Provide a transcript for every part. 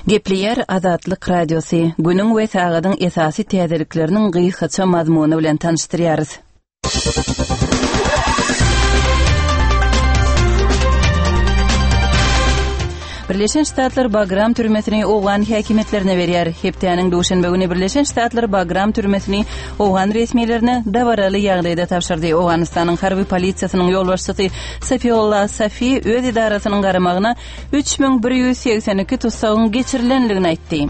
Gepleýär Azatlyk Radiosy, günüň we sagadyň esasy täzelikleriniň gysgaça mazmuny bilen tanyşdyrýarys. Birleşen Ştatlar Bagram türmesini owgan häkimiýetlerine berýär. Hepdäniň duşenbe güni Birleşen Ştatlar Bagram türmesini owgan resmilerine dabaraly ýagdaýda tabşyrdy. Owganystanyň harby polisiýasynyň ýolbaşçysy Safiullah Safi öz edarasynyň garamagyna 3182 tussagyň geçirilendigini aýtdy.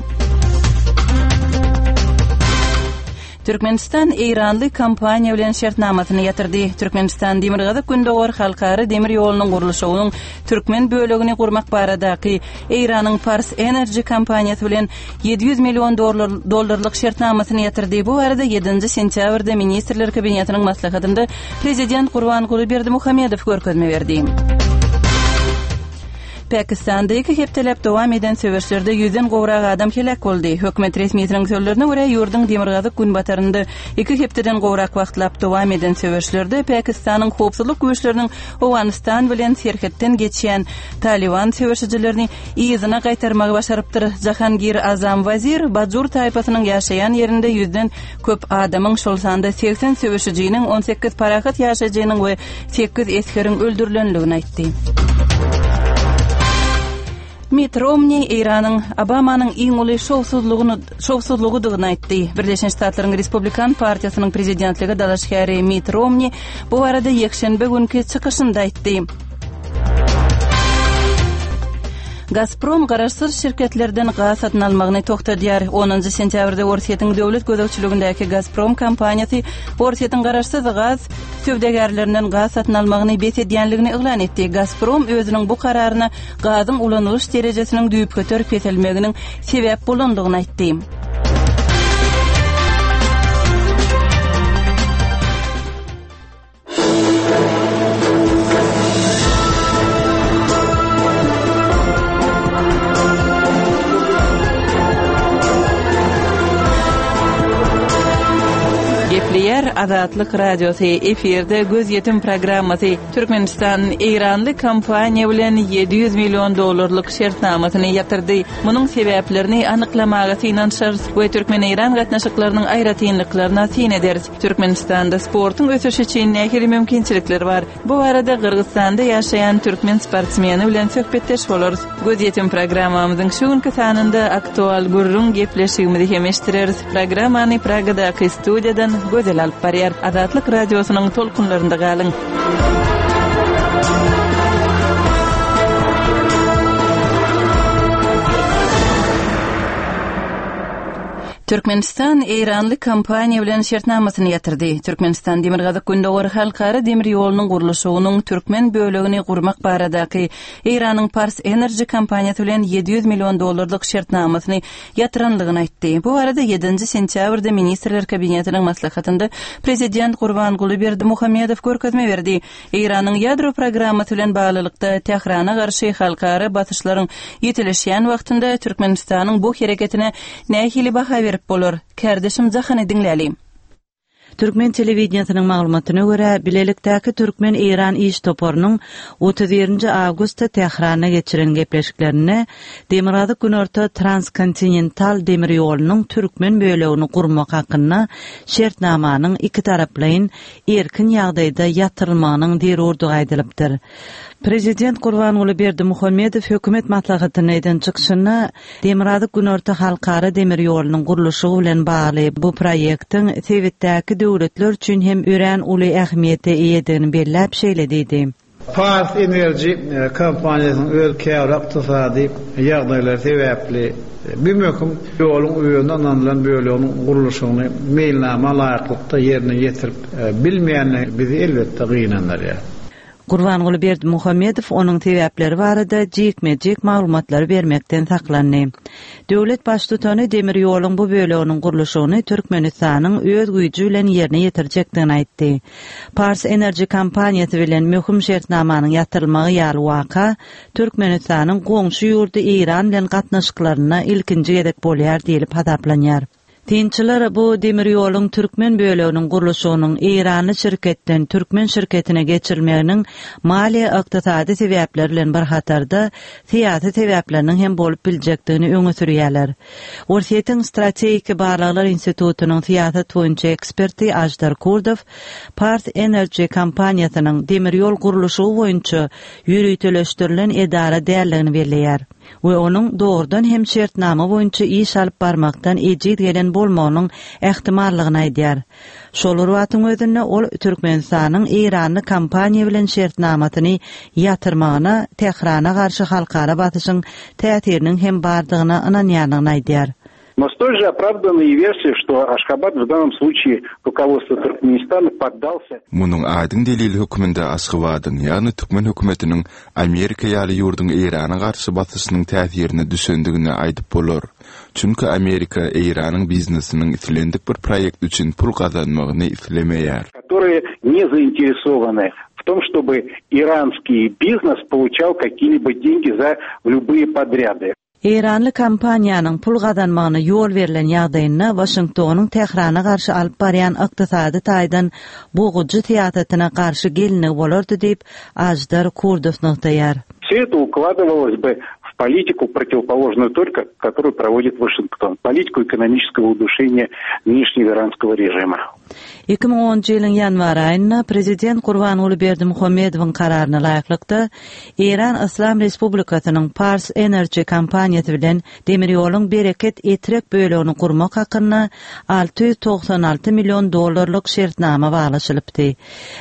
Türkmenistan eýranly kompaniýa bilen şertnamasyny ýatyrdy. Türkmenistan Demirgazyk-Gündogar halkara demir ýolunyň gurluşygynyň türkmen bölegini gurmak baradaky Eýranyň Pars Energy kompaniýasy bilen 700 million dollarlyk şertnamasyny ýatyrdy. Bu barada ýedinji sentýabrda Ministrler Kabinetiniň maslahatynda Prezident Gurbanguly Berdimuhamedow görkezme berdi. Pakistanda iki hepdeläp dowam eden söweşlerde ýüzden gowrak adam heläk boldy. Hökümet resmisiniň sözlerine görä, ýurduň demirgazyk-günbatarynda iki hepdeden gowrak wagtlap dowam eden söweşlerde Pakistanyň howpsuzlyk güýçleriniň Owganystan bilen serhetden geçýän Talyban söweşijilerini yzyna gaýtarmagy başarypdyr. Jahangir Azam Wazir Bajur taýpasynyň ýaşaýan ýerinde ýüzden köp adamyň, şol sanda 80 söweşijiniň, 18 parahat ýaşaýjynyň we sekiz esgeriň öldürilendigini aýtdy. Mitt Romni Eýranyň Obamanyň iň uly şowsuzlygyny şowsuzlygydygyny aýtdy. Birleşen Ştatlaryň Respublikan partiýasynyň prezidentlige dalaşgäri Mitt Romni bu barada ýekşenbe günki çykyşynda aýtdy. Gazprom garaşsyz şirketlerden gaz satyn almagyny togtadýar. Onunjy sentýabrda Orsýetiň döwlet gözegçiligindäki Gazprom kompaniýasy Orsýetiň garaşsyz gaz söwdagärlerinden gaz satyn almagyny bes edýänligini yglan etdi. Gazprom özüniň bu kararyna gazyň ulanylyş derejesiniň düýpgöter peselmeginiň sebäp bolandygyny aýtdy. Gepleýär Azatlyk Radiosy, efirde Gözýetim programmasy. Türkmenistan eýranly kompaniýa bilen 700 million dollarlyk şertnamasyny ýatyrdy. Munuň sebäplerini anyklamaga synanyşarys we türkmen-eýran gatnaşyklarynyň aýratynlyklaryna syn ederis. Türkmenistanda sportuň ösüşi üçin nähili mümkinçilikler bar? Bu barada Gyrgyzystanda ýaşaýan türkmen sportsmeni bilen söhbetdeş bolarys. Gözýetim programmamyzyň şu günki sanynda aktual gürrüň gepleşigimizi hem eşitdireris. Programmany Pragadaky studiýadan Gözel alyp barýar. Azatlyk Radiosynyň tolkunlarynda galyň! Türkmenistan eýranly kompaniýa bilen şertnamasyny ýatyrdy. Türkmenistan Demirgazyk-Gündogar halkara demir ýolunyň gurluşygynyň türkmen bölegini gurmak baradaky Eýranyň Pars Energy kompaniýasy bilen 700 million dollarlyk şertnamasyny ýatyranlygyny aýtdy. Bu barada ýedinji sentýabrda Ministrler Kabinetiniň maslahatynda Prezident Gurbanguly Berdimuhamedow görkezme berdi. Eýranyň ýadro programmasy bilen baglylykda Tährana garşy halkara basyşlaryň ýitileşýän wagtynda Türkmenistanyň bu hereketine nähili baha berip bolar? Kärdeşim Jahany diňläli. Türkmen telewideniýesiniň maglumatyna görä, bilelikdäki türkmen-eýran iş toparynyň 31-nji awgustda Tähranda geçiren gepleşiklerinde Demirgazyk-Günorta transkontinental demir ýolunyň türkmen bölegini gurmak hakynda şertnamanyň ikitaraplaýyn erkin ýagdaýda ýatyrylmagynyň zerurdygy aýdylypdyr. Prezident Gurbanguly Berdimuhamedow hökümet maslahatynda eden çykyşynda Demirgazyk-Günorta halkara demir ýolunyň gurluşygy bilen bagly bu proýektiň sebitdäki döwletler üçin hem örän uly ähmiýete eýedigini belläp şeýle diýdi. Pars Energy kompaniýasynyň öz käbir ykdysady ýagdaýlary sebäpli bu möhüm ýoluň özüne ynanylan böleginiň gurluşygyny meýilnama laýyklykda ýerine ýetirip bilmeýändigi bizi elbetde gynandyrýar. Gurbanguly Berdimuhamedow onuň sebäpleri barada jikme-jik maglumatlary bermekden saklandy. Döwlet Baştutany demir ýoluň bu böleginiň gurluşygyny Türkmenistanyň öz güýji bilen ýerine ýetirjekdigini aýtdy. Pars Energy kompaniýasy bilen möhüm şertnamanyň ýatyrylmagy ýaly waka Türkmenistanyň goňşy ýurdy Eýran bilen gatnaşyklarynda ilkinji gezek bolýar diýlip hasaplanýar. Synçylar bu demir ýoluň türkmen böleginiň gurluşygynyň eýranly şirketden türkmen şirketine geçirilmeginiň maliýe-ykdysady sebäpler bilen bir hatarda syýasy sebäpleriniň hem bolup biljekdigini öňe sürýärler. Orsýetiň Strategiki barlaglar institutynyň syýasat boýunça eksperti Aždar Kurdow Pars Energy kompaniýasynyň demir ýol gurluşygy boýunça ýöriteleşdirilen edara däldigini belleýär. we onuň dogrudan hem şertnama boýunça iş alyp barmakdan ejiz gelen bolmagynyň ähtimallygyny aýdýar. Şol bir wagtyň özünde ol Türkmenistanyň eýranly kompaniýa bilen şertnamasyny ýatyrmagyna Tährana garşy halkara basyşyň täsiriniň hem bardygyna ynanýandygyny aýdýar. Но столь же оправдана и версия, что Ашхабад в данном случае руководство Туркменистана поддался. Munuň aýdyň delili hökmünde Aşgabadyň, ýagny türkmen hökümetiniň Amerika ýaly ýurduň Eýrana garşy basyşynyň täsirine düşendigini aýdyp bolar. Çünki Amerika Eýranyň biznesiniň islendik bir proýekt üçin pul gazanmagyny islemeýär. Которые не заинтересованы в том, чтобы иранский бизнес получал какие-либо деньги за любые подряды. Eýranly kompaniýanyň pul gazanmagyna ýol berlen ýagdaýynda Waşingtonyň Tährana garşy alyp barýan ykdysady taýdan bogujy syýasatyna garşy gelinligi bolardy diýip, Aždar Kurdow nygtaýar. Все это укладывалось бы в политику, противоположную только, которую проводит Вашингтон, политику экономического удушения нынешнего иранского режима. 2010 ýylyň ýanwar aýynda prezident Gurbanguly Berdimuhamedowyň kararyna laýyklykda, Eýran Yslam Respublikasynyň Pars Energy kompaniýasy bilen demir ýoluň Bereket-Etrek bölegini gurmak hakynda 696 million dollarlyk şertnama baglaşylypdy.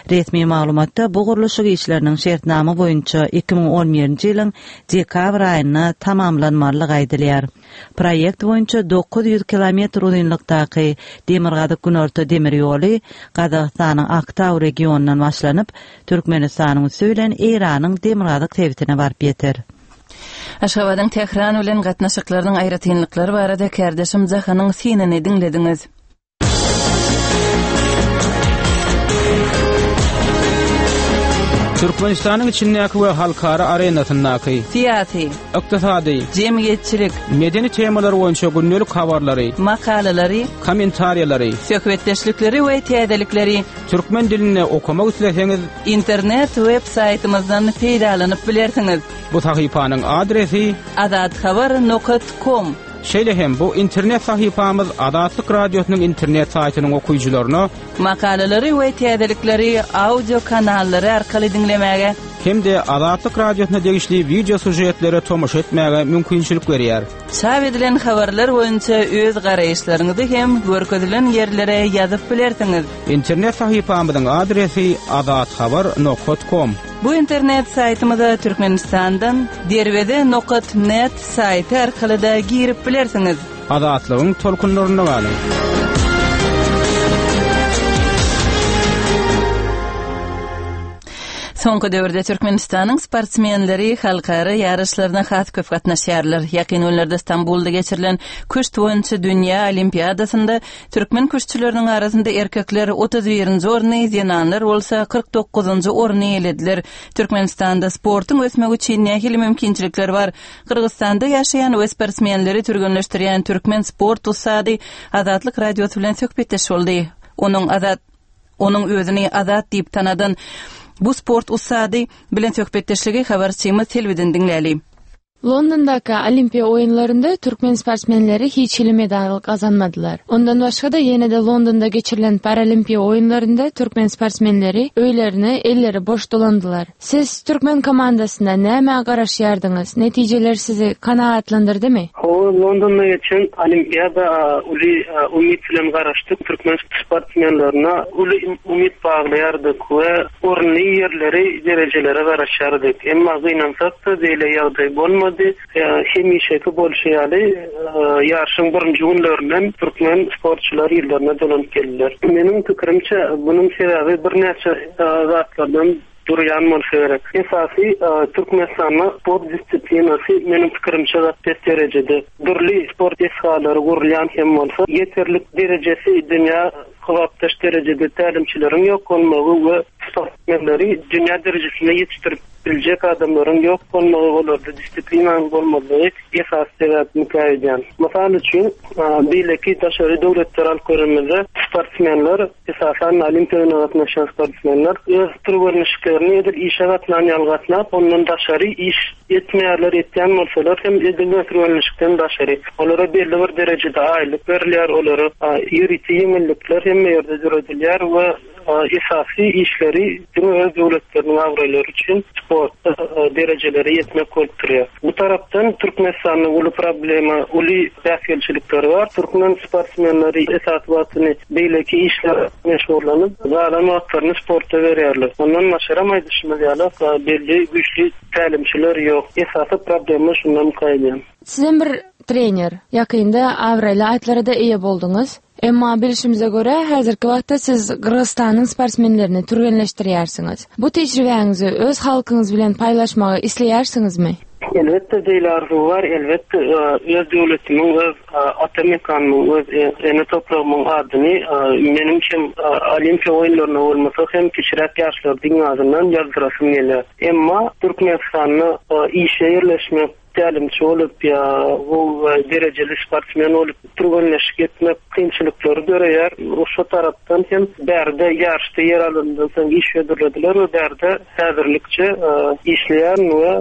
Resmi maglumatda bu gurluşyk işleriniň şertnama boýunça 2011-nji ýylyň dekabr aýynda tamamlanmalydygy aýdylýar. Proýekt boýunça 900 kilometr uzynlykdaky Demirgazyk-Günorta demir ýoly Gazagystanyň Aktau regionyndan başlanyp, Türkmenistanyň üsti bilen Eýranyň demirgazyk sebitine baryp ýeter. Aşgabadyň Tähran bilen gatnaşyklarynyň aýratynlyklary barada kärdeşim Jahanyň synyny diňlediňiz. Türkmenistanyň içindäki we halkara arenasyndaky syýasy, ykdysady, jemgyýetçilik, medeni temalar boýunça gündelik habarlary, makalalary, kommentariýalary, söhbetdeşlikleri we täzelikleri türkmen dilinde okamak isleseňiz, internet web saýtymyzdan peýdalanyp bilersiňiz. Bu sahypanyň adresi azathabar nokat kom. Şeýle hem bu internet sahypamyz Azatlyk Radiosynyň internet saýtynyň okyjylaryna Makalalary we täzelikleri audio kanallary arkaly diňlemäge hem-de Azatlyk Radiosyna degişli wideo sýužetlere tomaşa etmäge mümkinçilik berýär. Çap edilen habarlar boýunça öz garaýyşlaryňyzy hem görkezilen ýerlere ýazyp bilersiňiz. Internet sahypamyzyň adresi azathabar nokat kom. Bu internet saýtymyza Türkmenistandan Derweze nokat net saýty arkaly-da girip bilersiňiz. Azatlygyň tolkunlarynda galyň! Soňky döwürde Türkmenistanyň sportsmenleri halkara ýaryşlaryna has köp gatnaşýarlar. Ýakyn günlerde Stambulda geçirilen küşt boýunça dünýä olimpiadasynda Türkmen küştçüleriniň arasynda erkekler 31-nji orny, zenanlar bolsa 49-njy orny eýelediler. Türkmenistanda sportuň ösmegi üçin nähili mümkinçilikler bar? Gyrgyzystanda ýaşaýan we sportsmenleri türgenleşdirýän türkmen sport ussady Azatlyk Radiosy bilen söhbetdeş boldy. Onuň Azat Onuň özüni Azat diýip tanadan bu sport ussady bilen söhbetdeşligi habarçymyz Selbiden diňläli. Londondaky Olimpiýa oýunlarynda türkmen sportsmenleri hiç hili medal gazanmadylar. Ondan başga-da ýene-de Londonda geçirilen Paralimpiýa oýunlarynda türkmen sportsmenleri öýlerine elleri boş dolandylar. Siz türkmen komandasyna nämä garaşýardyňyz? Netijeler sizi kanagatlandyrdymy? Hawa, Londonda geçen Olimpiada uly umyt bilen garaşdyk. Türkmen sportsmenlerine uly umyt baglaýardyk we orunly ýerleri, derejelere garaşýardyk. Emma gynansak-da, beýle ýagdaý bolmady. Hemişeki bolşy ýaly, ýaryşyň birinji günlerinden türkmen sportçylary yzlaryna dolanyp geldiler. Meniň pikirimçe, munuň sebäbi birnäçe zatlardan durýan bolsa gerek. Esasy, Türkmenistanda sport disiplinasy, meniň pikirimçe, gaty pes derejede. Dürli sport desgalary gurulýan hem bolsa, ýeterlik derejesi dünýä kybapdaş derejede tälimçileriň ýok bolmagy we. sportsmenleri dünýä derejesinde ýetişdirip biljek adamlaryň ýok bolmagy, olarda disiplinanyň bolmazlygy esasy sebäpmikä öýdýän. Mysal üçin, beýleki daşary döwletleri alyp görenimizde sportsmenler, esasan Olimpiýa oýnuna gatnaşýan sportsmenler öz türgenleşiklerini edil işe gatnan ýaly gatnap, ondan daşary iş etmeýärler, etýän bolsalar hem edil türgenleşikden daşary. Olara belli bir derejede aýlyk berilýär, olara ýörite ýeňillikler hemme ýerde döredilýär we Esasy işleri diňe öz döwletleriniň abraýlary üçin sportda derejelere ýetmek bolup durýar. Bu tarapdan Türkmenistanda uly problema, uly päsgelçilikler bar. Türkmen sportsmenleri esasy wagtyny beýleki işler meşgullanyp, galan wagtlaryny sporta berýärler. Ondan başgaram aýdyşymyz ýaly, belli güýçli tälimçiler ýok. Esasy problema şundan gaýdýan. Sizem bir trener. Ýakynda abraýly atlara-da eýe bolduňyz. Emma bilşimize görä, häzirki wagtda siz Gyrgyzystanyň sportsmenlerini türgenleşdirýärsiňiz. Bu tejribäňizi öz halkyňyz bilen paýlaşmagy isleýärsiňizmi? Elbetde, beýle arzuw bar. Elbetde, öz döwletimiň, öz ata mekanymyň, öz ene topragymyň adyny meniň hem Olimpiýa oýunlaryna bolmasa hem kiçiräk ýaşlarda iň azyndan ýazdyrasym gelýär. Emma Türkmenistanda işe ýerleşmek, Tälimçi bolup ýa gowy derejeli sportsmen bolup türgenleşik etmek kynçylyklary döreýär. Şo tarapdan hem bärde ýaryşda ýer alanymdan soň iş hödürlediler we bärde häzirlikçe işleýärin we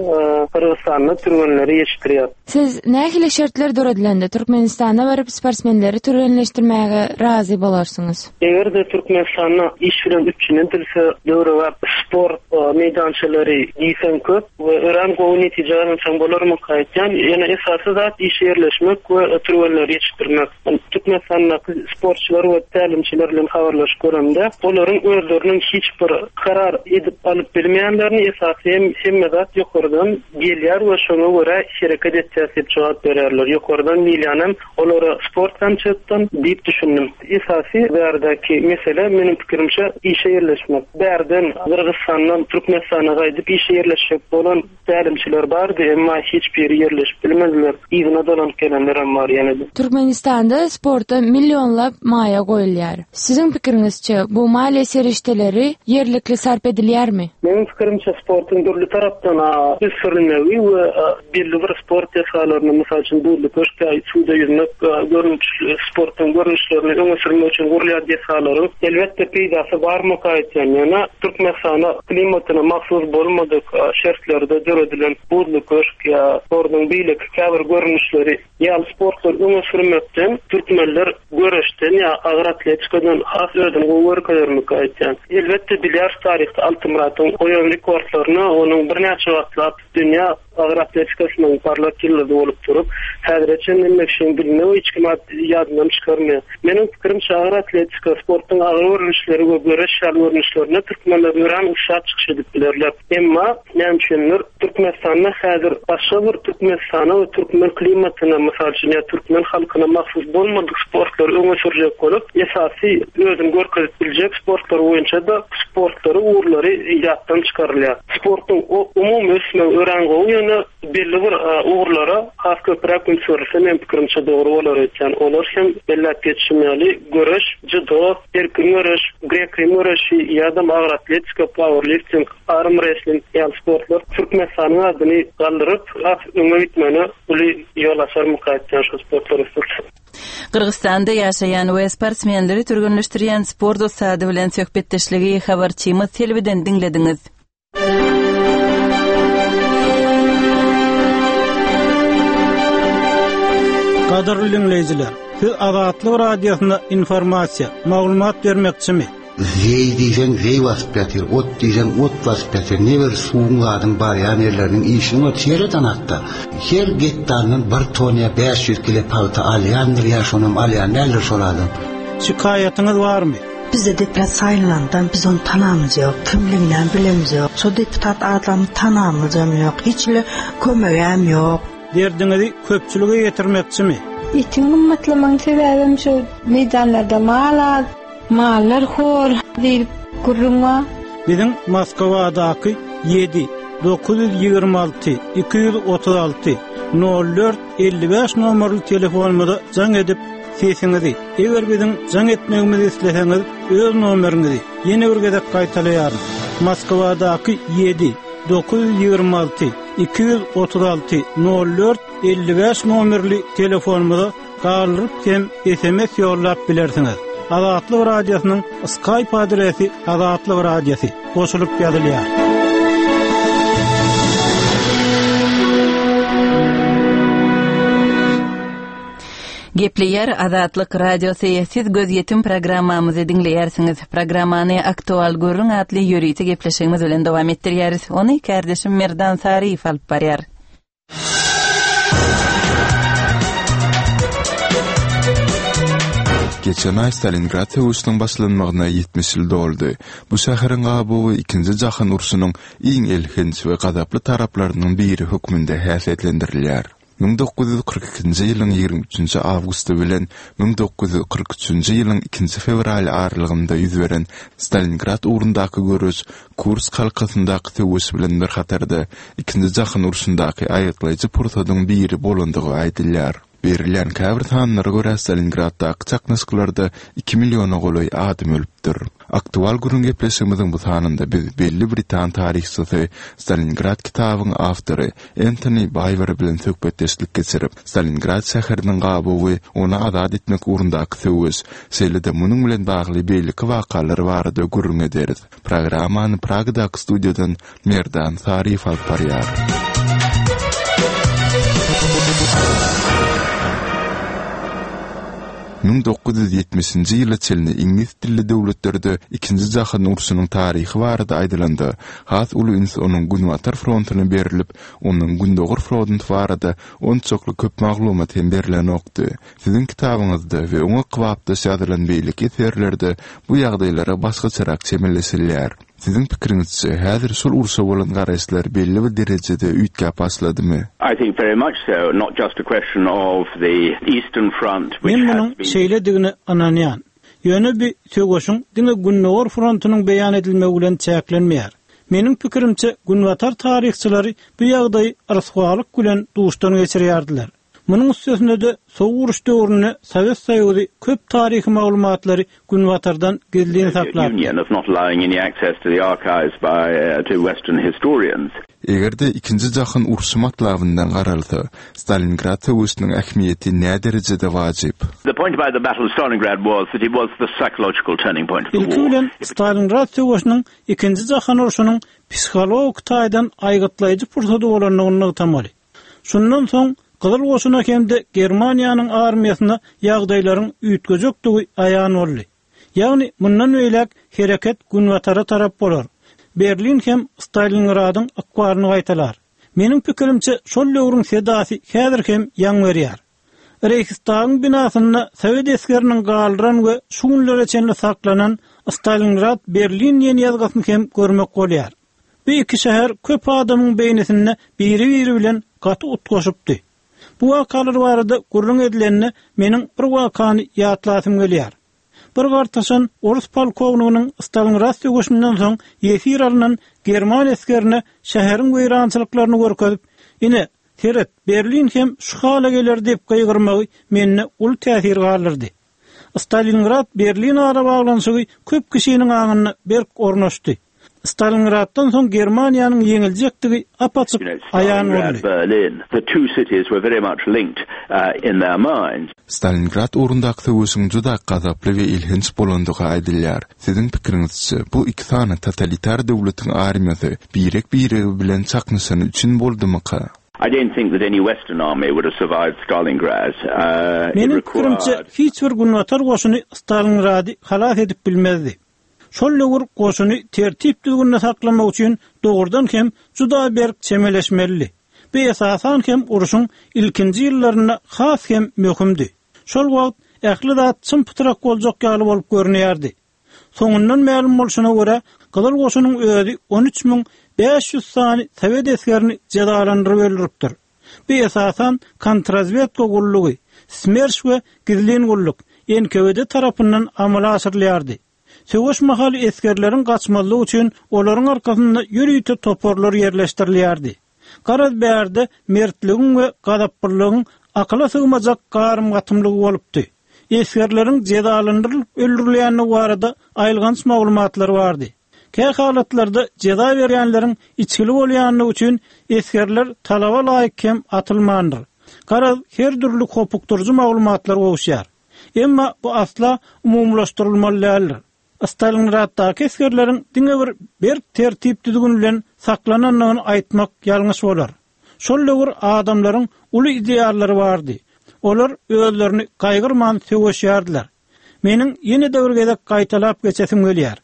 Gyrgyzystanda türgenleri ýetişdirýärin. Siz nähili şertler döredilende Türkmenistana baryp sportsmenleri türgenleşdirmäge razy bolarsyňyz? Eger-de Türkmenistanda iş bilen üpjün edilse, döwrebap sport meýdançalary diýseň köp we örän gowy netije gazansaň bolarmyka aýtýan. Ýöne esasy zat işe ýerleşmek we türgenleri ýetişdirmek. Türkmenistandaky sportçylar we tälimçiler bilen habarlaşyp göremde, olaryň özleriniň hiç bir karar edip alyp bilmeýänlerini, esasy hem hemme zat ýokardan gelýär we şoňa görä hereket etýäs diýip jogap berýärler. Ýokardan diýilýänem Olara sport konsertden diýip düşündim. Esasy bärdäki mesele meniň pikirimçe işe ýerleşmek. Bärden Gyrgyzstandan Türkmenistana gaýdyp işe ýerleşjek bolan tälimçiler bardy, emma hiç biri ýerleşip bilmediler. Yzyna dolanyp gelenlerem bar ýene-de. Türkmenistanda sporta millionlap maýa goýulýar. Siziň pikiriňizçe, bu maliýe serişdeleri ýerlikli sarp edilýärmi? Meniň pikirimçe sportuň dürli tarapdan ösdürilmegi we Belli bir sport desgalaryny, mysal üçin, buzly köşk ýa suwda ýüzmek görnüşli sportuň görnüşlerini öňe sürmek üçin gurulýan desgalaryň, elbetde, peýdasy barmyka aýtýan. Ýöne Türkmenistana klimatyna mahsus bolmadyk şertlerde döredilen buzly köşk ýa sportuň beýleki käbir görnüşleri ýaly sportlary öňe sürmekden türkmenler göreşden ýa agyr atletikadan has özüni gowy görkezermika aýtýan. Elbetde, bilýäris taryhda Altymyratyň goýan rekordlaryny, onuň birnäçe wagtlap Dünýä agyr atletikasynyň parlak ýyldyzy bolup durup, häzire çenli Mekşiň diline we hiç kim ýadyndan çykarmaýar. Meniň pikirimçe, agyr atletika, sportuň agyr görnüşleri we göreş ýaly görnüşlerinde türkmenler örän ussat çykyş edip bilerler. Emma, näme üçindir, Türkmenistanda häzir başga bir Türkmenistana we türkmen klimatyna, mysal üçin, ýa türkmen halkyna mahsus bolmadyk sportlary öňe sürjek bolup, esasy özüni görkezip biljek sportlar boýunça-da sportlary, ugurlary ýatdan çykarylýar. Sportuň umumy ösmegi örän gowy, ýöne belli bir ugurlara has köpräk üns berilse, meniň pikirimçe dogry bolar öýtýän. Olar hem belläp geçişim ýaly, göreş, judo, erkin göreş, grek-rim göreşi ýa-da agyr atletika, pauerlifting, armresling ýaly sportlar Türkmenistanyň adyny galdyryp, has öňe gitmegine uly ýol açarmyka öýtýän şu sportlar ösdürilse. Gyrgyzystanda ýaşaýan we sportsmenleri türgenleşdirýän sport ussady bilen söhbetdeşligi habarçymyz Selbiden diňlediňiz. Gadyrly diňleýjiler, siz Azatlyk Radiosynda informasiýa, maglumat bermekçimi? Zeý diýseň zeý basyp ýatyr, ot diýseň ot basyp ýatyr. Ne bir suwuň zadyň barýan ýerleriniň işini ot sereden hatda. Her gektaryndan bir ton ýa 500 kile pagta alýandyr ýa şonam alýan däldir şol adam. Şikaýatyňyz barmy? Bizde deputat saýlanandan biz ony tanamyz ýok, kimliginem bilemizok. Şo deputat adamy tanamyzam ýok, hiç hili kömegem ýok. Derdiňizi köpçülige ýetirmekçimi? Etiň gymmatlamagyň sebäbem şo meýdanlarda mal az, mallar hor diýlip gürrüň bar. Biziň Moskwadaky 7 926 236 04 55 nomerli telefonymyza jaň edip, sesiňizi, eger biziň jaň etmegimizi isleseňiz, öz nomeriňizi ýene bir gezek gaýtalaýaryn. Moskwadaky ýedi, 926 236 04 55 nomerli telefonymyza galdyryp hem sms ýollap bilersiňiz. Azatlyk Radiosynyň Skype adresi Azatlyk Radiosy goşulyp ýazylýar. Gepleýär Azatlyk Radiosy, siz Gözýetim programmamyzy diňleýärsiňiz. Programmany Aktual gürrüň atly ýörite gepleşigimiz bilen dowam etdirýäris. Ony kärdeşim Merdan Saryýew alyp barýar. Geçen aý Stalingrad söweşiniň başlanmagyna 70 ýyl doldy. Bu şäheriň gabawy Ikinji jahan urşunyň iň elhenç we gazaply taraplarynyň biri hökmünde häsiýetlendirilýär. 1942-nji ýylyň 23-nji awgusty bilen 1943-nji ýylyň ikinji fewraly aralygynda ýüz beren Stalingrad ugrundaky göreş Kursk halkasyndaky söweş bilen bir hatarda, Ikinji jahan urşundaky aýgytlaýjy pursadyň biri bolandygy aýdylýar. Berilýän käbir sanlara görä, Stalingraddaky çaknyşyklarda iki milliona golaý adam ölüpdir. Aktual gürrüň gepleşigimiziň bu sanynda biz belli britan taryhçysy, Stalingrad kitabyň awtory Entoni Baýwer bilen söhbetdeşlik geçirip, Stalingrad şäheriniň gabawy, ony azat etmek ugrundaky söweş, şeýle-de munuň bilen bagly beýleki wakalar barada gürrüň ederis. Programmany Pragadaky studiýadan Merdan Saryýew alyp barýar. 1970-nji ýyla çenli iňlis dilli döwletlerde Ikinji jahan urşunyň taryhy barada aýdylanda, has uly üns onuň Günbatar frontuna berlip, onuň Gündogar fronty barada onçakly köp maglumat hem berlenokdy. Siziň kitabyňyzda we oňa kybapdaş ýazylan beýleki eserlerde bu ýagdaýlara başgaçarak çemeleşilýär. Siziň pikiriňizçe, häzir şol urşa bolan garaýyşlar belli bir derejede üýtgäp başladymy? I think very much so, not just a question of the Eastern Front which Men has munuň been. şeýledigine ynanýan. Ýöne bi söweşiň diňe Gündogar frontunyň beýan edilmegi bilen çäklenmeýär. Meniň pikirimçe, günbatar taryhçylary bu ýagdaýy ryswalyk bilen duşdan geçirýärdiler. Munuň üstesine-de, Sowuk uruş döwründe Sowet Soýuzy köp taryhy maglumatlary Günbatardan gizlin saklapdy. Eger-de Ikinji jahan urşy matlabyndan garalsa, Stalingrad söweşiniň ähmiýeti näderejede wajyp? Ilki bilen, Stalingrad söweşiniň Ikinji jahan urşunyň psihologik taýdan aýgytlaýjy pursady bolandygyny nygtamaly. Şundan soň Gyzyl Goşuna hem-de Germaniýanyň armiýasyna ýagdaýlaryň üýtgejekdigi aýan boldy. Ýagny mundan beýläk hereket günbatara tarap bolar. Berlin hem Stalingradyň ykbalyny gaýtalar. Meniň pikirimçe şol döwrüň sedasy häzir hem ýaň berýär. Reýhstagyň binasynda sowet esgeriniň galdyran we şu günlere çenli saklanan Stalingrad Berlin diýen ýazgysyny hem görmek bolýar. Bu iki şäher köp adamyň beýnisinde biri-biri bilen gaty utgaşypdy. Bu wakalar barada gürrüň edilende meniň bir wakany ýatlasym gelýär. Bir gartaşan orus polkowniginiň Stalingrad söweşinden soň ýesir alnan german esgerine şäheriň weýrançylyklaryny görkezip, Ine, seret, Berlin hem şu hala geler diýip gygyrmagy mende uly täsir galdyrdy. Stalingrad-Berlin arabaglanyşygy köp kişiniň aňynda berk ornaşdy. Stalingraddan soň Germaniýanyň ýeňiljekdigi ap-açyk aýan boldy. Stalingrad ugrundaky söweşiň juda gazaply we elhenç bolandygy aýdylýar. Siziň pikiriňizçe, bu iki sany totalitar döwletiň armiýasy birek-biregi bilen çaknyşany üçin boldumyka? I don't think that any Western army would have survived Stalingrad. Meniň pikirimçe, hiç bir Günbatar goşuny Stalingrady halas edip bilmezdi. Şol döwür goşuny tertip-düzgünde saklamak üçin dogrudan hem juda berk çemeleşmelidi. Bu esasan hem urşuň ilkinji ýyllarynda has hem möhümdi. Şol wagt ähli zat çym-pytrak boljak ýaly bolup görünýärdi. Soňundan mälim bolşuna görä, Gyzyl Goşunyň özi 13 500 sany sowet esgerini jezalandyryp öldüripdir. Bu esasan kontrazwedka gullugy, Smerş we gizlin gulluk, NKWD tarapyndan amala aşyrylýardy. Söweş mahaly esgerleriň gaçmazlygy üçin olaryň arkasynda ýörite toparlar ýerleşdirilýärdi. Garaz bärde mertligiň we gazaplylygyň akyla sygmajak garym-gatymlygy bolupdy. Esgerleriň jezalandyrylyp öldürilýändigi barada aýylganç maglumatlar bardy. Kä halatlarda jeza berýänleriň içgili bolýandygy üçin esgerler talaba laýyk hem atylmandyr. Garaz, her dürli hopukdyryjy maglumatlar gowuşýar. Emma bu asla umumylaşdyrylmaly däldir. Stalingraddaky esgerleriň diňe bir berk tertip-düzgün bilen saklanandygyny aýtmak ýalňyş bolar. Şol döwür adamlaryň uly ideallary bardy. Olar özlerini gaýgyrman söweşýärdiler. Meniň ýene-de bir gezek gaýtalap geçesim gelýär.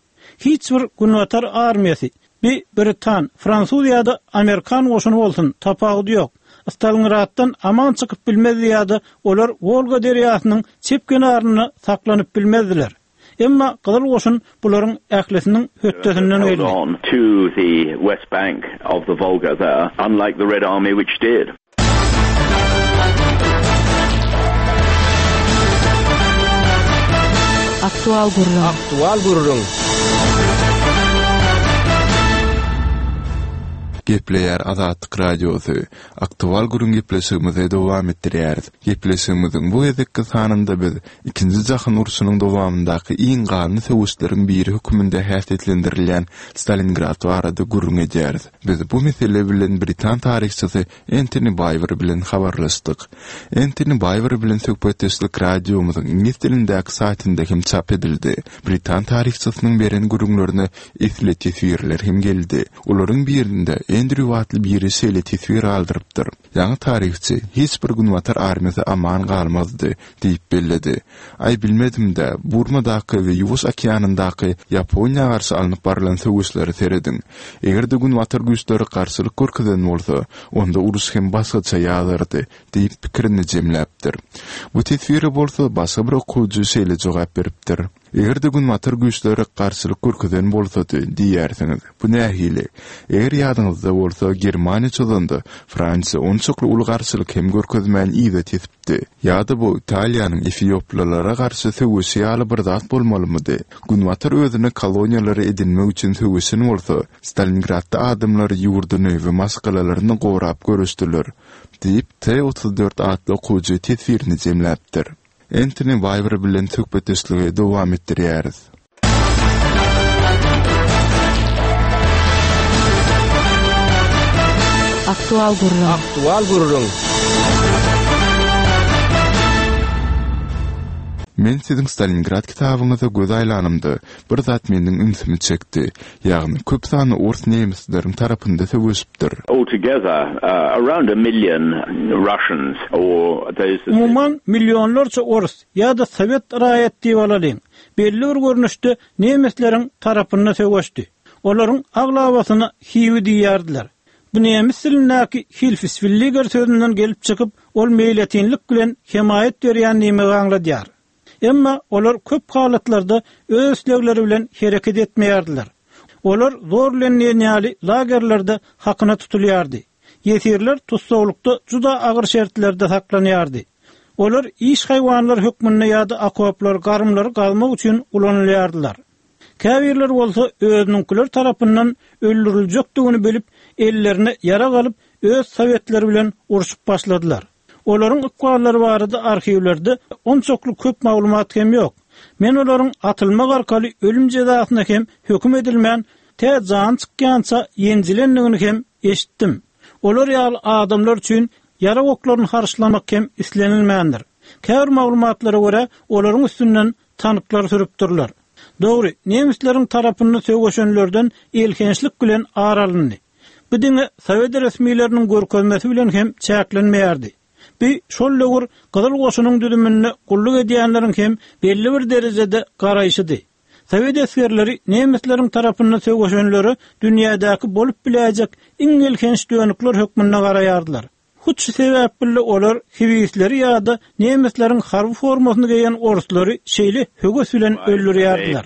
Hiç bir Günbatar armiýasy, bi britan, fransuz ýa-da amerikan goşuny bolsun, tapawudy ýok, Stalingraddan aman çykyp bilmezdi ýa-da olar Wolga derýasynyň çep kenarynda saklanyp bilmezdiler. Emma Gyzyl Goşun bularyň ählisiniň hötdesinden geldi. Aktual gürrüň. Aktual gürrüň. Gepleýär Azatlyk Radiosy. Aktual gürrüň gepleşigimizi dowam etdirýäris. Gepleşigimiziň bu gezekki sanynda biz Ikinji jahan urşunyň dowamyndaky iň ganly söweşleriň biri hökmünde häsiýetlendirilýän Stalingrad barada gürrüň edýäris. Biz bu mesele bilen britan taryhçysy Entoni Baýwer bilen habarlaşdyk. Entoni Baýwer bilen söhbetdeşlik radiomyzyň iňlis dilindäki saýtynda hem çap edildi. Britan taryhçysynyň beren gürrüňlerine esli teswirler hem geldi. Olaryň birinde Endrýu atly biri şeýle teswir galdyrypdyr. Ýaňy taryhçy, Hiç bir Günbatar armiýasy aman galmazdy diýip belledi. Aý, bilmedim-dä, Burmadaky we Ýuwaş okeanyndaky Ýaponiýa garşy alnyp barylan söweşlere serediň. Eger-de Günbatar güýçleri garşylyk görkezen bolsa, onda uruş hem başgaça ýazardy diýip pikirini jemläpdir. Bu teswire bolsa başga bir okuwçy şeýle jogap beripdir. Eger-de Günbatar güýçleri garşylyk görkezen bolsady, diýýärsiňiz. Bu nähili? Eger ýadyňyzda bolsa, Germaniýa çozanda, Fransiýa onçakly uly garşylyk hem görkezmän yza tesipdi. Ýa-da bu Italiýanyň efioplylara garşy söweşi ýaly bir zat bolmalymydy? Günbatar özüne koloniýalary edinmek üçin söweşen bolsa, Stalingradda adamlar ýurduny we maşgalalaryny gorap göreşdiler, diýip, T 34 atly okyjy teswirini jemläpdir. Entoni Waýwer bilen söhbetdeşligi dowam etdirýäris. Aktual gürrüň. Aktual gürrüň. Men siziň Stalingrad kitabyňyza göz aýlanymda, bir zat meniň ünsümi çekdi. Ýagny, köp sanly ors nemisleriň tarapynda söweşipdir. Altogether, around a million Russians or those that. Umuman, millionlarça ors ýa-da sowet raýat diýip alalyň, belli bir görnüşde nemisleriň tarapynda söweşdi. Olaryň aglabasyna hiwi diýýärdiler. Bu nemis dilindäki Hilfswilliger sözünden gelip çykyp, ol meýletinlik bilen hemaýat berýän diýmegi aňladýar. Emma olar köp halatlarda öz islegleri bilen hereket etmeýärdiler. Olar zor bilen diýen ýaly lagerlerde hakyna tutulýardy. Ýesirler tussaglykda juda agyr şertlerde saklanýardy. Olar iş haýwanlary hökmünde ýa-da okoplary, garymlary gazmak üçin ulanylýardylar. Käbirleri bolsa özüniňkiler tarapyndan öldüriljekdigini bilip, ellerine ýarag alyp, öz sowetleri bilen urşup başladylar. Olaryň ykballary barada arhiwlerde onçakly köp maglumat hem ýok. Men olaryň atylmak arkaly ölüm jezasyna hem höküm edilmän, tä jany çykýança ýenjilendigini hem eşitdim. Olar ýaly adamlar üçin ýarag oklaryny harçlamak hem islenilmändir. Käbir maglumatlara görä, olaryň üstünden tanklar sürüpdirler. Dogry, nemisleriň tarapynda söweşenlerden elhençlik bilen ar alyndy. Bu diňe sowet resmileriniň görkezmesi bilen hem çäklenmeýärdi. Bu şol döwür Gyzyl Goşunyň düzüminde gulluk edýänleriň hem belli bir derejede garaýşydy. Sowet esgerleri nemisleriň tarapynda söweşenlere dünýädäki bolup biläýjek iň elhenç dönükler hökmünde garaýardylar. Hut şu sebäpli olar hiwisleri ýa-da nemisleriň harby formasyny geýen orslary şeýle höwes bilen öldürýärdiler.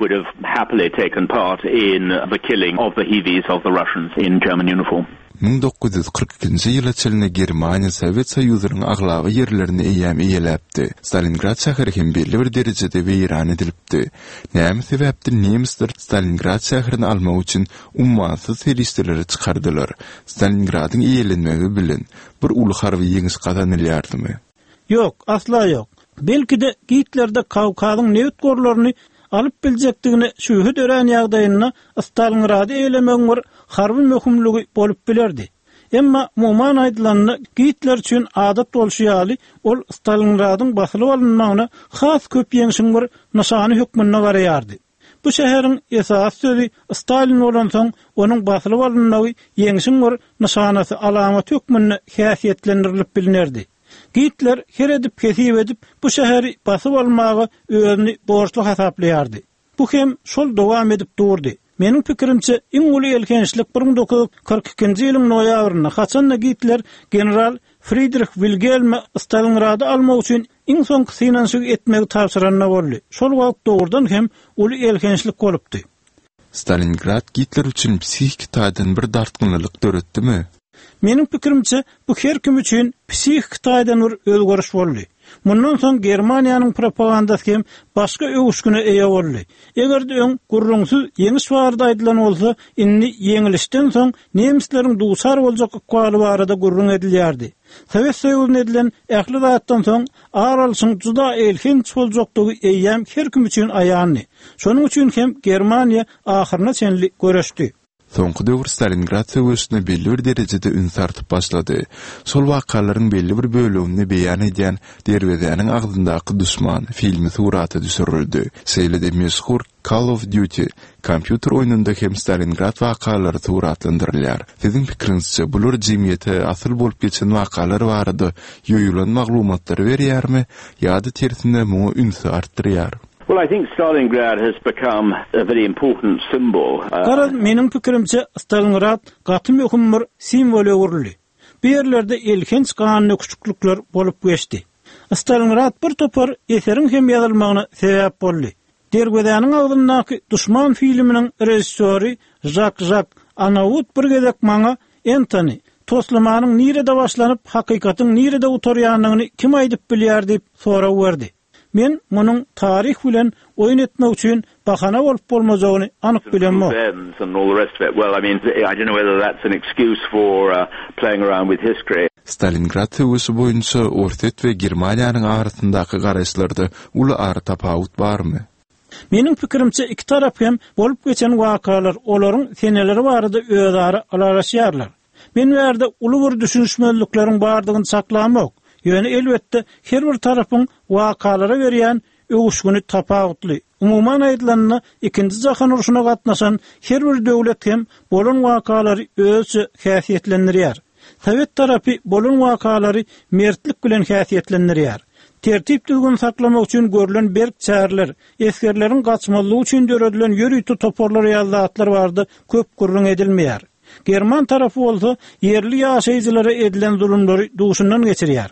1942-nji ýyla çenli Germaniýa Sowet Soýuzynyň aglaba ýerlerini eýýäm eýeläpdi. Stalingrad şäheri hem belli bir derejede weýran edilipdi. Näme sebäpden nemisler Stalingrad şäherini almak üçin ummasyz serişdeleri çykardylar. Stalingradyň eýelenmegi bilen bir uly harby ýeňiş gazanylýardymy? Ýok, asla ýok. Belki-de, Gitler-de Kawkazyň nebit gorlaryny alyp biljekdigine şübhe dörän ýagdaýynda Stalingrady eýelemegiň bir harby möhümligi bolup bilerdi. Emma, umuman aýdylanda, Gitler üçin adat bolşy ýaly, ol Stalingradyň basylyp alynmagyna has köp ýeňşiň bir nyşany hökmünde garaýardy. Bu şäheriň esasy sözi Stalin bolansoň, onuň basylyp alynmagy ýeňşiň bir nyşanasy, alamaty hökmünde häsiýetlendirilip bilnerdi. Gitler her edip-hesip edip, bu şäheri basyp almaga özüni borçly hasaplaýardy. Bu hem şol dowam edip durdy. Meniň pikirimçe, iň uly elhençlik 1942-nji ýylyň noýabrynda, haçan-da Gitler general Fridrih Wilgelme Stalingrady almak üçin iň soňky synanyşygy etmegi tabşyranda boldy. Şol wagt dogrudan hem uly elhençlik bolupdy. Stalingrad Gitler üçin psihiki taýdan bir dartgynlylyk döretdimi? Meniň pikirimçe, bu her kim üçin psihiki taýdan bir özgeriş boldy. Mundan soň Germaniýanyň propagandasy hem başga öwüşgine eýe boldy. Eger-de öň gürrüňsiz ýeňiş barada aýdylan bolsa, indi ýeňilişden soň nemisleriň duçar boljak ykbaly barada gürrüň edilýärdi. Sowet Soýuzyna edilen ähli zatdan soň ar alşyň juda elhenç boljakdygy eýýäm her kim üçin aýandy. Şonuň üçin hem Germaniýa ahyryna çenli göreşdi. Soňky döwür Stalingrad söweşine belli bir derejede üns artyp başlady. Şol wakalaryň belli bir bölegini beýan edýän Derwezäniň agzyndaky duşman filmi surata düşürildi. Şeýle-de meşhur Call of Duty kompýuter oýnunda hem Stalingrad wakalary suratlandyrylýar. Siziň pikiriňizçe, bular jemgyýete asyl bolup geçen wakalar barada ýoýulan maglumatlary berýärmi ýa-da tersine muňa ünsi artdyrýar? Well, I think Stalingrad has become a very important symbol. Garaz, meniň pikirimçe, Stalingrad gaty möhüm bir simwola öwrüldi. Bu ýerlerde elhenç gandöküşiklikler bolup geçdi. Stalingrad bir topar eseriň hem ýazylmagyna sebäp boldy. Derwezäniň agzyndaky duşman filminiň režissýory Žak Žak Anaut bir gezek maňa, Entoni, toslamanyň nirede başlanyp, hakykatyň nirede gutarýanyny kim aýdyp bilýär diýip sorag berdi. Men munuň taryh bilen oýun etmek üçin bahana bolup bolmajagyny anyk bilemok. Stalingrad söweşi boýunça Orsýet we Germaniýanyň arasyndaky garaýyşlarda uly aratapawut barmy? Meniň pikirimçe iki tarap hem bolup geçen wakalar, olaryň seneleri barada özara ylalaşýarlar. Men bärde uly bir düşünişmezlikleriň bardygyny çaklamok. Ýöne elbetde her bir tarapyň wakalara berýän öwüşgini tapawutly. Umuman aýdylanda ikinji jahan urşuna gatnaşan her bir döwlet hem bolan wakalary özüçe häsiýetlendirýär. Sowet tarapy bolan wakalary mertlik bilen häsiýetlendirýär. Tertip-düzgüni saklamak üçin görlen berk çäreler, esgerleriň gaçmazlygy üçin döredilen ýörite toparlar ýaly zatlar barada köp gürrüň edilmeýär. German tarapy bolsa ýerli ýaşaýjylara edilen zulumlary duşundan geçirýär.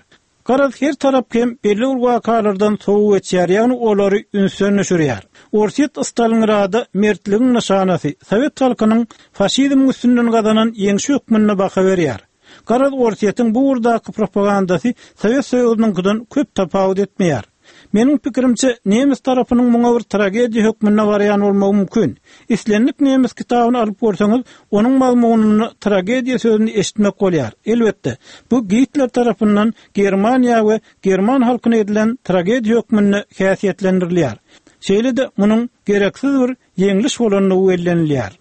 Garaz, her tarap hem belli bir wakalardan sowa geçýär, ýagny olary ünsden düşürýär. Orsýet Stalingrada mertligiň nyşanasy, sowet halkynyň faşizmiň üstünden gazanan ýeňşi hökmünde baha berýär. Garaz, Orsýetiň bu ugurdaky propagandasy Sowet Soýuzynyňkydan köp tapawut etmeýär. Meniň pikirimçe, nemes tarapynyň muňa bir tragediýa hökmünde garaýan bolmagy mümkin. Islendik nemes kitabyny alyp görseňiz, onuň mazmunynda tragediýa sözüni eşitmek bolýar. Elbetde, bu Gitler tarapyndan Germaniýa we german halkyna edilen tragediýa hökmünde häsiýetlendirilýär. Şeýle-de munuň gereksiz bir ýeňliş bolandygy bellenilýär.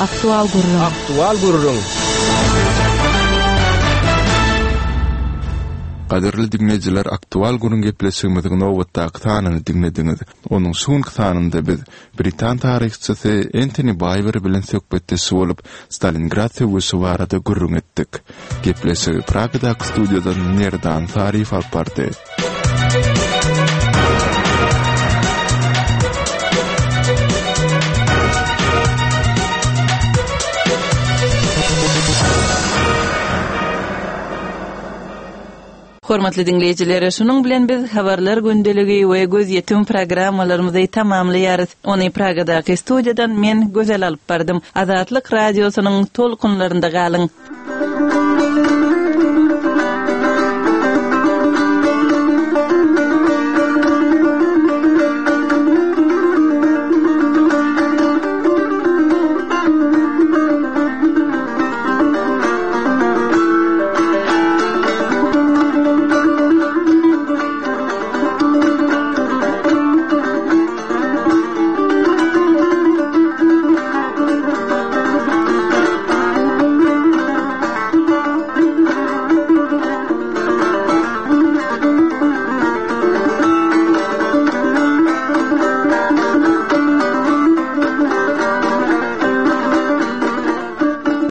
Aktual gürrüň. Aktual gürrüň. Gadyrly diňleýjiler Aktual gürrüň gepleşigimiziň nobatdaky sanyny diňlediňiz. Onuň şu günki sanynda biz britan taryhçysy Entoni Baýwer bilen söhbetdeş bolup, Stalingrad söweşi barada gürrüň etdik. Gepleşigi Pragadaky studiýadan Merdan Saryýew alyp bardy. Hormatly diňleýjiler, şunuň bilen biz Habarlar gündeligi we Gözýetim programmalarymyzy tamamlaýarys. Ony Pragadaky studiýadan men, Gözel alyp bardym. Azatlyk Radiosynyň tolkunlarynda galyň!